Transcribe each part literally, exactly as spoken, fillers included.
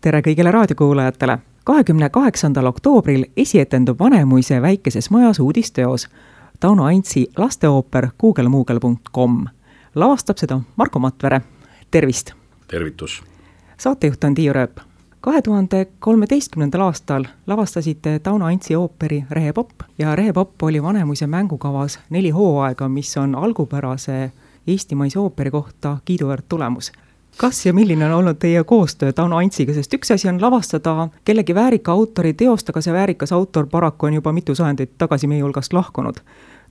tere kõigile raadiokuulajatele! kahekümne kaheksandal oktoobril esietendub Vanemuise väikeses majas uudisteos Tauno Aintsi lasteooper kuugelmuugel punkt com. Lavastab seda Marko Matvere. Tervist! Tervitus! Saatejuht on Tiiu Rööp. kahe tuhande kolmeteistkümnendal aastal lavastasite Tauno Aintsi ooperi Rehepopp ja Rehepopp oli Vanemuise mängukavas neli hooaega, mis on algupärase eestimaise ooperi kohta kiiduväärt tulemus. Kas ja milline on olnud teie koostöö Tauno Aintsiga, sest üks asi on lavastada kellegi väärika autori teost, aga see väärikas autor paraku on juba mitu sajandit tagasi meie hulgast lahkunud.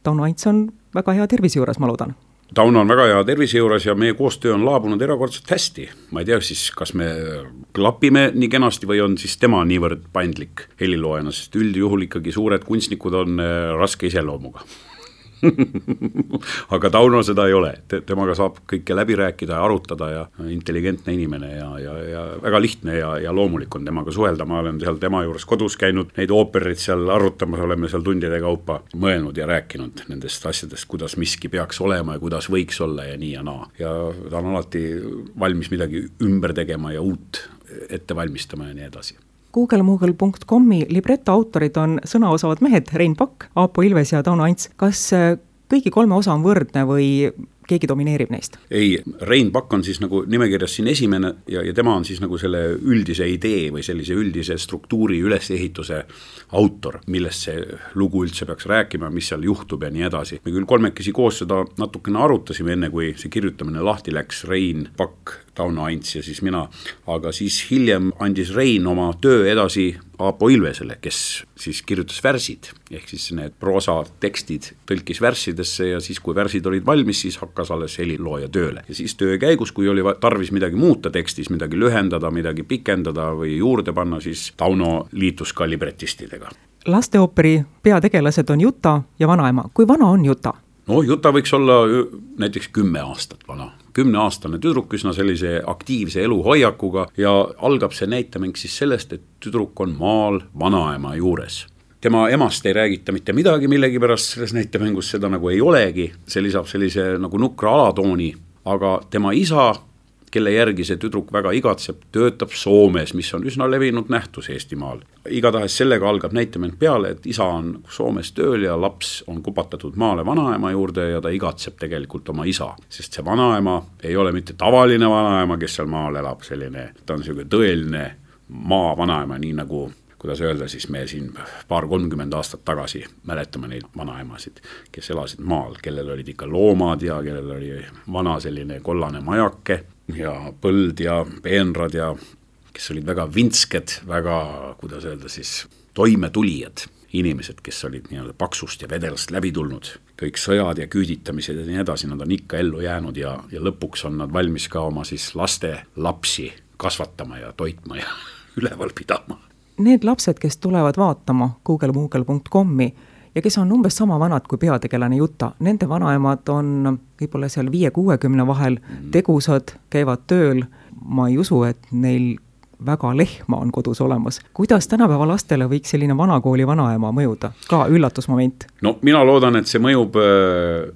Tauno Aints on väga hea tervise juures, ma loodan. Tauno on väga hea tervise juures ja meie koostöö on laabunud erakordselt hästi. Ma ei tea siis, kas me klapime nii kenasti või on siis tema niivõrd paindlik heliloojana, sest üldjuhul ikkagi suured kunstnikud on raske iseloomuga. Aga Tauno seda ei ole, temaga saab kõike läbi rääkida ja arutada ja intelligentne inimene ja, ja, ja väga lihtne ja, ja loomulik on temaga suhelda. Ma olen seal tema juures kodus käinud, neid oopereid seal arutamas, oleme seal tundide kaupa mõelnud ja rääkinud nendest asjadest, kuidas miski peaks olema ja kuidas võiks olla ja nii ja naa. Ja ta on alati valmis midagi ümber tegema ja uut ette valmistama ja nii edasi. kuugelmuugel punkt com-i libretto autorid on sõnaosavad mehed Rein Pakk, Aapo Ilves ja Tauno Aints. Kas kõigi kolme osa on võrdne või keegi domineerib neist? Ei, Rein Pakk on siis nagu nimekirjas siin esimene ja, ja tema on siis nagu selle üldise idee või sellise üldise struktuuri ülesehituse autor, millest see lugu üldse peaks rääkima, mis seal juhtub ja nii edasi. Me küll kolmekesi koos seda natukene arutasime enne, kui see kirjutamine lahti läks, Rein Pakk, Tauno Aints ja siis mina, aga siis hiljem andis Rein oma töö edasi Aapo Ilvesele, kes siis kirjutas värsid, ehk siis need proosa tekstid tõlkis värssidesse ja siis kui värsid olid valmis, siis hakkas alles helilooja tööle. Ja siis töö käigus, kui oli tarvis midagi muuta tekstis, midagi lühendada, midagi pikendada või juurde panna, siis Tauno liitus ka libretistidega. Lasteooperi peategelased on Juta ja vanaema. Kui vana on Juta? No Juta võiks olla näiteks kümme aastat vana. Kümneaastane tüdruk üsna sellise aktiivse eluhoiakuga ja algab see näitamäng siis sellest, et tüdruk on maal vanaema juures. Tema emast ei räägita mitte midagi millegi pärast selles näitamängus, seda nagu ei olegi, see lisab sellise nagu nukra alatooni, aga tema isa, kelle järgi see tüdruk väga igatseb, töötab Soomes, mis on üsna levinud nähtus Eestimaal. Igatahes sellega algab näitamäng peale, et isa on Soomes tööl ja laps on kupatatud maale vanaema juurde ja ta igatseb tegelikult oma isa, sest see vanaema ei ole mitte tavaline vanaema, kes seal maal elab, selline, ta on selline tõeline maa vanaema, nii nagu kuidas öelda, siis me siin paar kolmkümmend aastat tagasi mäletame neid vanaemasid, kes elasid maal, kellel olid ikka loomad ja kellel oli vana selline kollane majake ja põld ja peenrad ja kes olid väga vintsked, väga, kuidas öelda siis, toimetulijad inimesed, kes olid nii-öelda paksust ja vedelast läbi tulnud. Kõik sõjad ja küüditamised ja nii edasi, nad on ikka ellu jäänud ja, ja lõpuks on nad valmis ka oma siis laste lapsi kasvatama ja toitma ja üleval pidama. Need lapsed, kes tulevad vaatama kuugelmuugel punkt com-i ja kes on umbes sama vanad kui peategelane Juta, nende vanaemad on võib-olla seal viie kuuekümne vahel tegusad, käivad tööl. Ma ei usu, et neil väga lehma on kodus olemas. Kuidas tänapäeva lastele võiks selline vanakooli vanaema mõjuda? Ka üllatusmoment. No mina loodan, et see mõjub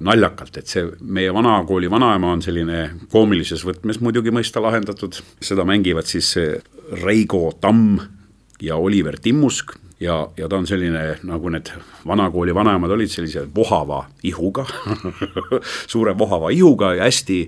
naljakalt, et see meie vanakooli vanaema on selline koomilises võtmes muidugi mõista lahendatud. Seda mängivad siis Reigo Tamm ja Oliver Timmusk ja, ja ta on selline, nagu need vanakooli vanaemad olid sellise vohava ihuga, suure vohava ihuga ja hästi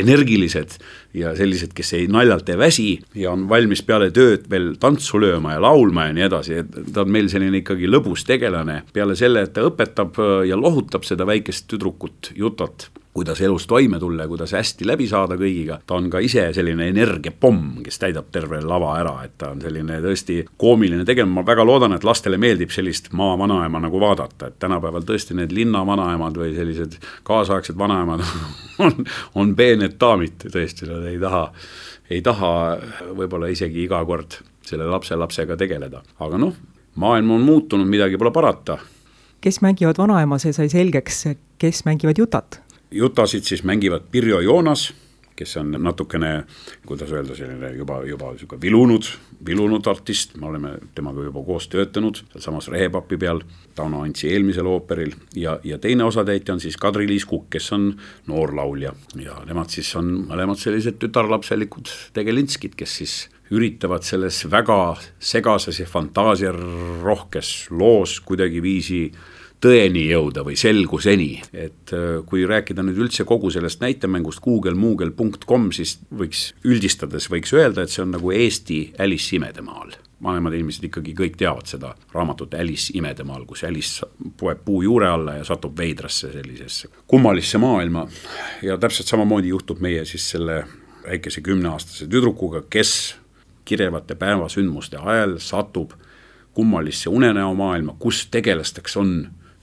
energilised ja sellised, kes ei naljalt ei väsi ja on valmis peale tööd veel tantsu lööma ja laulma ja nii edasi. Ta on meil selline ikkagi lõbus tegelane peale selle, et ta õpetab ja lohutab seda väikest tüdrukut Jutat, kuidas elus toime tulla ja kuidas hästi läbi saada kõigiga. Ta on ka ise selline energiapomm, kes täidab terve lava ära, et ta on selline tõesti koomiline tegelane. Ma väga loodan, et lastele meeldib sellist maa vanaema nagu vaadata, et tänapäeval tõesti need linna vanaemad või sellised kaasaegsed vanaemad on, on peened daamid tõesti, nad ei taha, ei taha võib-olla isegi iga kord selle lapse lapsega tegeleda. Aga noh, maailm on muutunud, midagi pole parata. Kes mängivad vanaema, see sai selgeks, kes mängivad Jutat? Jutasid siis mängivad Pirjo Joonas, kes on natukene, kuidas öelda, selline juba, juba vilunud, vilunud artist. Me oleme temaga juba koos töötanud samas Rehepapi peal, Tauno Aintsi eelmisel ooperil ja, ja teine osatäitja on siis Kadri-Liis Kukk, kes on noor laulja ja nemad siis on mõlemad sellised tütarlapselikud tegelinskid, kes siis üritavad selles väga segases ja fantaasiarohkes loos kuidagi viisi tõeni jõuda või selguseni, et kui rääkida nüüd üldse kogu sellest näitemängust google moogel punkt com, siis võiks üldistades võiks öelda, et see on nagu Eesti Alice imedemaal. Vanemad inimesed ikkagi kõik teavad seda raamatut Alice imedemaal, kus Alice poeb puu juure alla ja satub veidrasse sellisesse kummalisse maailma ja täpselt samamoodi juhtub meie siis selle väikese kümneaastase tüdrukuga, kes kirjavate päevasündmuste ajal satub kummalisse unenäo maailma, kus tegelasteks on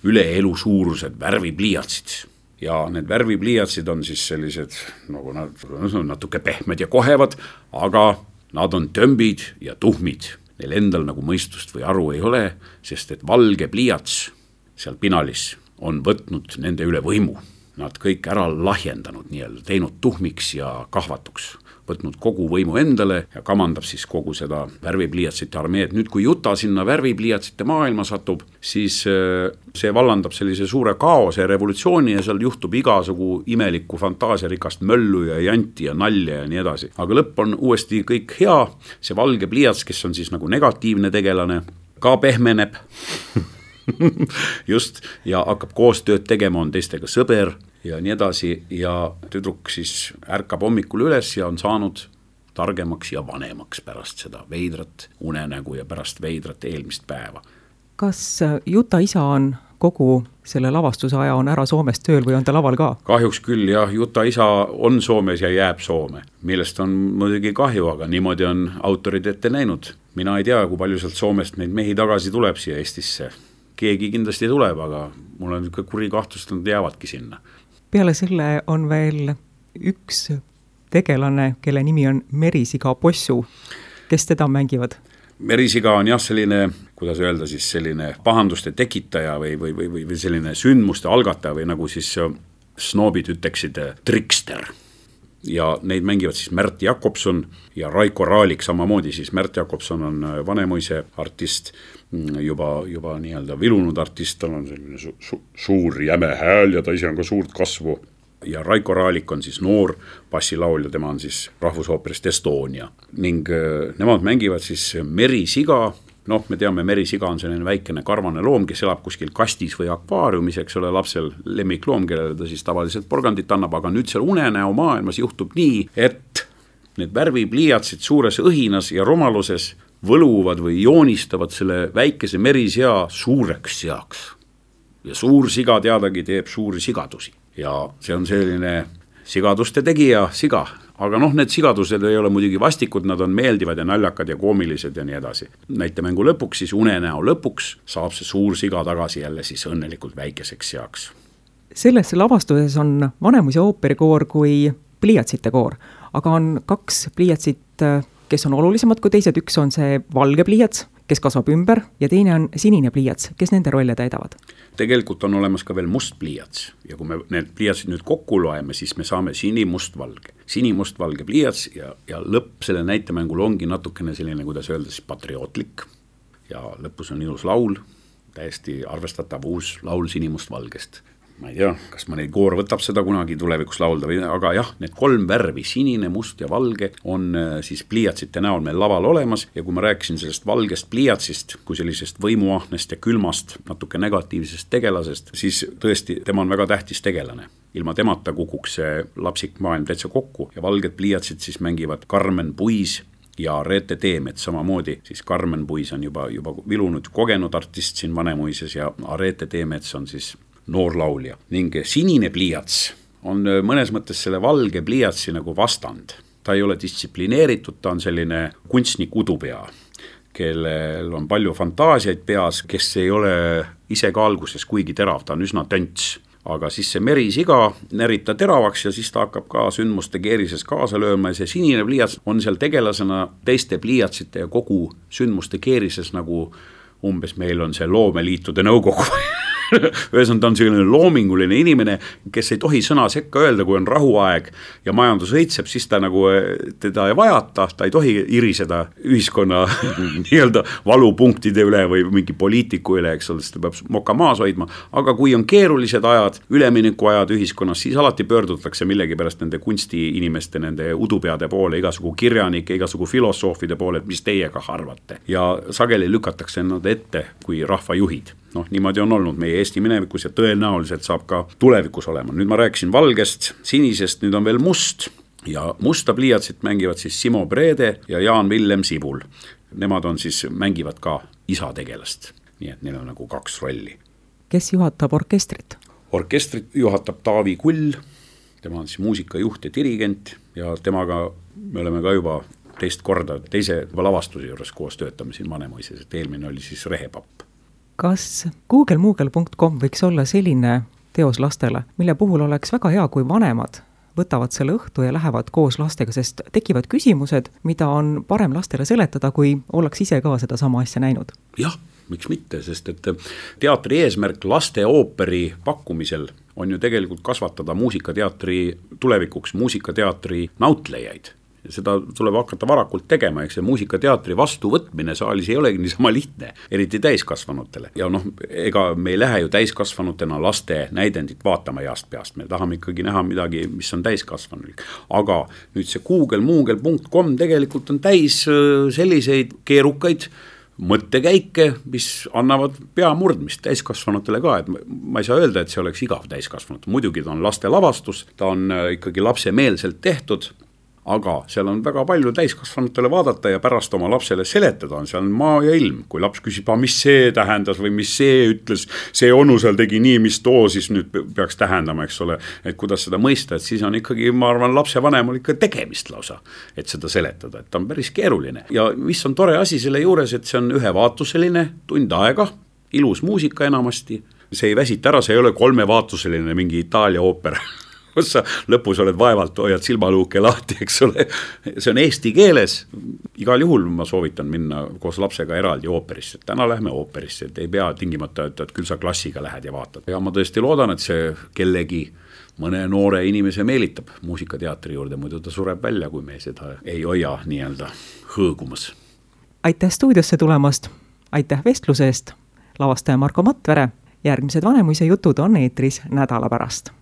üle elu suurused värvipliiatsid. Ja need värvipliiatsid on siis sellised, nagu nad on natuke pehmed ja kohevad, aga nad on tömbid ja tuhmid. Neil endal nagu mõistust või aru ei ole, sest et valge pliiats seal pinalis on võtnud nende üle võimu. Nad kõik ära lahjendanud, nii-öelda teinud tuhmiks ja kahvatuks, võtnud kogu võimu endale ja kamandab siis kogu seda värvipliiatsite armeed. Nüüd, kui Juta sinna värvipliiatsite maailma satub, siis see vallandab sellise suure kaose ja revolutsiooni ja seal juhtub igasugu imelikku fantaasiarikast möllu ja janti ja nalja ja nii edasi. Aga lõpp on uuesti kõik hea, see valge pliiats, kes on siis nagu negatiivne tegelane, ka pehmeneb just, ja hakkab koostööd tegema, on teistega sõber ja nii edasi ja tüdruk siis ärkab hommikul üles ja on saanud targemaks ja vanemaks pärast seda veidrat unenägu ja pärast veidrat eelmist päeva. Kas Juta isa on kogu selle lavastuse aja on ära Soomes tööl või on ta laval ka? Kahjuks küll, jah, Juta isa on Soomes ja jääb Soome, millest on muidugi kahju, aga niimoodi on autorid ette näinud. Mina ei tea, kui palju sealt Soomest neid mehi tagasi tuleb siia Eestisse. Keegi kindlasti tuleb, aga mul on kuri kahtlust, nad jäävadki sinna. Peale selle on veel üks tegelane, kelle nimi on Merisiga Possu. Kes teda mängivad? Merisiga on jah selline, kuidas öelda siis selline pahanduste tekitaja või, või, või, või selline sündmuste algataja või nagu siis snoobid ütleksid trikster. Ja neid mängivad siis Märt Jakobson ja Raiko Raalik samamoodi, siis Märt Jakobson on Vanemuise artist, juba, juba nii-öelda vilunud artist, tal on selline su su suur jäme hääl ja ta ise on ka suurt kasvu. Ja Raiko Raalik on siis noor bassilaulja, tema on siis rahvusooperist Estonia. Ning nemad mängivad siis Merisiga. Noh, me teame, Merisiga on selline väikene karvane loom, kes elab kuskil kastis või akvaariumis, eks ole, lapsel lemmikloom, kellele ta siis tavaliselt porgandit annab, aga nüüd seal unenäo maailmas juhtub nii, et need värvipliiatsid suures õhinas ja rumaluses võluvad või joonistavad selle väikese merisea suureks seaks. Ja suur siga teadagi teeb suuri sigadusi. Ja see on selline sigaduste tegija siga. Aga noh, need sigadused ei ole muidugi vastikud, nad on meeldivad ja naljakad ja koomilised ja nii edasi. Näitemängu lõpuks, siis unenäo lõpuks saab see suur siga tagasi jälle siis õnnelikult väikeseks seaks. Selles lavastuses on Vanemuise ooperikoor kui pliiatsite koor, aga on kaks pliiatsit, kes on olulisemad kui teised. Üks on see valge pliiats, kes kasvab ümber ja teine on sinine pliiats, kes nende rolle täidavad. Tegelikult on olemas ka veel must pliiats ja kui me need pliiatsid nüüd kokku loeme, siis me saame sinimustvalge. Sinimustvalge pliiats ja, ja lõpp selle näitemängul ongi natukene selline, kuidas öelda, siis patriootlik ja lõpus on ilus laul, täiesti arvestatav uus laul sinimustvalgest. Ma ei tea, kas mõni koor võtab seda kunagi tulevikus laulda või, aga jah, need kolm värvi, sinine, must ja valge on siis pliiatsite näol meil laval olemas ja kui ma rääkisin sellest valgest pliiatsist kui sellisest võimuahnest ja külmast natuke negatiivsest tegelasest, siis tõesti tema on väga tähtis tegelane. Ilma temata kukuks see lapsik maailm täitsa kokku ja valged pliiatsid siis mängivad Karmen Puis ja Reete Teemet samamoodi, siis Karmen Puis on juba, juba vilunud kogenud artist siin Vanemuises ja Reete Teemets on siis noor laulja. Ning sinine pliiats on mõnes mõttes selle valge pliiatsi nagu vastand. Ta ei ole distsiplineeritud, ta on selline kunstnik udupea, kellel on palju fantaasiaid peas, kes ei ole ise ka alguses kuigi terav, ta on üsna tönts. Aga siis see merisiga närib ta teravaks ja siis ta hakkab ka sündmuste keerises kaasa lööma ja see sinine pliiats on seal tegelasena teiste pliiatsite ja kogu sündmuste keerises nagu umbes meil on see loomeliitude nõukogu ühesõnaga ta on selline loominguline inimene, kes ei tohi sõna sekka öelda, kui on rahuaeg ja majandus õitseb, siis ta nagu teda ei vajata, ta ei tohi iriseda ühiskonna nii-öelda valupunktide üle või mingi poliitiku üle, eks ole, sest ta peab moka maas hoidma, aga kui on keerulised ajad, ülemineku ajad ühiskonnas, siis alati pöördutakse millegi pärast nende kunstiinimeste, nende udupeade poole, igasugu kirjanike, igasugu filosoofide poole, et mis teie ka arvate. Ja sageli lükatakse nad ette kui rahvajuhid. Noh, niimoodi on olnud meie Eesti minevikus ja tõenäoliselt saab ka tulevikus olema. Nüüd ma rääkisin valgest, sinisest, nüüd on veel must ja musta pliiatsit mängivad siis Simo Brede ja Jaan Villem Sibul. Nemad on siis, mängivad ka isategelast, nii et neil on nagu kaks rolli. Kes juhatab orkestrit? Orkestrit juhatab Taavi Kull, tema on siis muusikajuht ja dirigent ja temaga me oleme ka juba teist korda teise lavastuse juures koos töötame siin Vanemuises, et eelmine oli siis Rehepapp. Kas google muugle punkt com võiks olla selline teos lastele, mille puhul oleks väga hea, kui vanemad võtavad selle õhtu ja lähevad koos lastega, sest tekivad küsimused, mida on parem lastele seletada, kui ollaks ise ka seda sama asja näinud? Jah, miks mitte, sest et teatri eesmärk laste ooperi pakkumisel on ju tegelikult kasvatada muusikateatri tulevikuks muusikateatri nautlejaid. Seda tuleb hakata varakult tegema, eks see muusikateatri vastuvõtmine saalis ei olegi niisama lihtne, eriti täiskasvanutele. Ja noh, ega me ei lähe ju täiskasvanutena laste näidendit vaatama east peast, me tahame ikkagi näha midagi, mis on täiskasvanulik. Aga nüüd see google muugle punkt com tegelikult on täis selliseid keerukaid mõttekäike, mis annavad peamurdmist täiskasvanutele ka, et ma ei saa öelda, et see oleks igav täiskasvanut. Muidugi ta on laste lavastus, ta on ikkagi lapsemeelselt tehtud, aga seal on väga palju täiskasvanutele vaadata ja pärast oma lapsele seletada, on seal maa ja ilm. Kui laps küsib, mis see tähendas või mis see ütles, see onu seal tegi nii, mis too siis nüüd peaks tähendama, eks ole, et kuidas seda mõista, et siis on ikkagi, ma arvan, lapse vanem on ikka tegemist lausa, et seda seletada, et ta on päris keeruline. Ja mis on tore asi selle juures, et see on ühevaatuseline, tund aega, ilus muusika enamasti, see ei väsita ära, see ei ole kolmevaatuseline mingi Itaalia ooper, kus sa lõpus oled vaevalt, hoiad silmaluuke lahti, eks ole. See on eesti keeles. Igal juhul ma soovitan minna koos lapsega eraldi ooperisse. Täna lähme ooperisse, et ei pea tingimata, et, et küll sa klassiga lähed ja vaatad. Ja ma tõesti loodan, et see kellegi mõne noore inimese meelitab muusikateatri juurde, muidu ta sureb välja, kui me seda ei hoia nii-öelda hõõgumas. Aitäh stuudiosse tulemast, aitäh vestluse eest, lavastaja Marko Matvere. Järgmised Vanemuise jutud on eetris nädala pärast.